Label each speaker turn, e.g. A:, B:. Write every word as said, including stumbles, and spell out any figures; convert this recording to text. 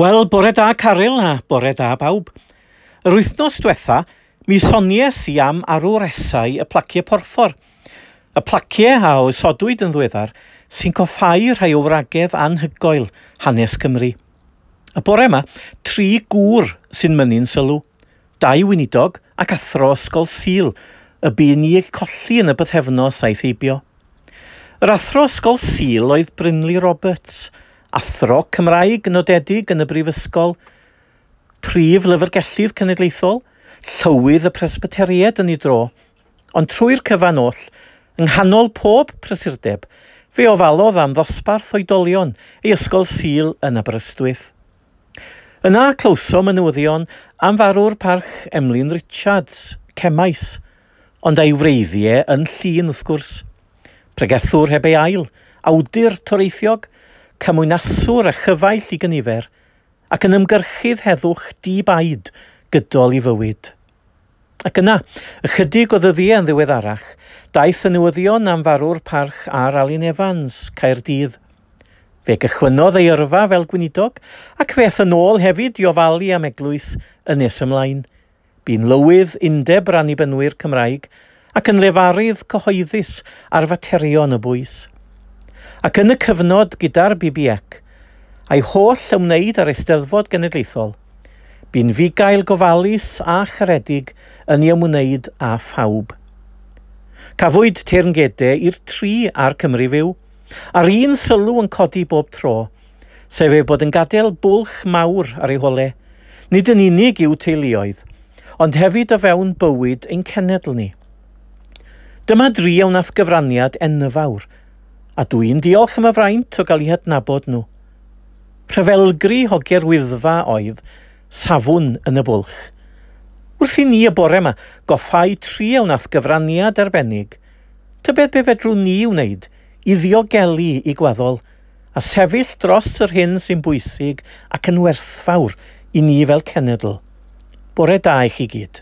A: Wel, bore da Caryl a bore da bawb. Yr wythnos diwetha, mi sonies i am arwresau y placiau porffor. Y placiau a osodwyd yn ddiweddar sy'n coffáu rhai o wragedd anhygoel hanes Cymru. Y bore yma, tri gŵr sy'n mynnu'n sylw. Dau weinidog ac athro ysgol Sul y bu ni eu colli yn y bythefnos aeth heibio. Yr athro ysgol Sul oedd Brynley Roberts, athro Cymraeg nodedig yn y Brifysgol, prif lyfrgellydd cenedlaethol, llywydd y Presbyteriaid yn ei dro, ond trwy'r cyfan oll, yng nghanol pob prysurdeb, fe ofalodd am ddosbarth oedolion ei ysgol Sul yn Aberystwyth. Yna clywsom y newyddion am farw'r parch Emlyn Richards, Cemaes, ond a'i wreiddiau yn Llŷn wrth gwrs. Pregethwr heb ei ail, awdur toreithiog, cymwynaswr a chyfaill i gynifer, ac yn ymgyrchydd heddwch di-baid gydol ei fywyd. Ac yna, ychydig o ddyddiau yn ddiweddarach, daeth y newyddion am farw'r parch R Alun Evans, Caerdydd. Fe gychwynnodd ei yrfa fel gweinidog, ac fe aeth yn ôl hefyd i ofalu am eglwys yn nes ymlaen. Bu'n lywydd Undeb yr Annibynwyr Cymraeg ac yn lefarydd cyhoeddus ar faterion y bwys. Ac yn y cyfnod gyda'r B B C, a'i holl ymwneud â'r Eisteddfod Genedlaethol, bu'n fugail gofalus a charedig yn ei ymwneud â phawb. Cafwyd teyrngedau i'r tri a'r Cymru Fyw, a'r un sylw yn codi bob tro, sef ei bod yn gadael bwlch mawr ar ei hole, nid yn unig i'w teuluoedd, ond hefyd o fewn bywyd ein cenedl ni. Dyma dri a wnaeth gyfraniad enfawr, a dwi'n diolch am y fraint o gael eu hadnabod nhw. Rhyfelgri hogiau'r Wyddfa oedd safwn yn y bwlch. Wrth i ni y bore yma goffau tri a wnaeth gyfraniad arbennig, tybed be fedrwn ni wneud i ddiogelu i gwaddol a sefyll dros yr hyn sy'n bwysig ac yn werthfawr i ni fel cenedl. Bore da i chi gyd.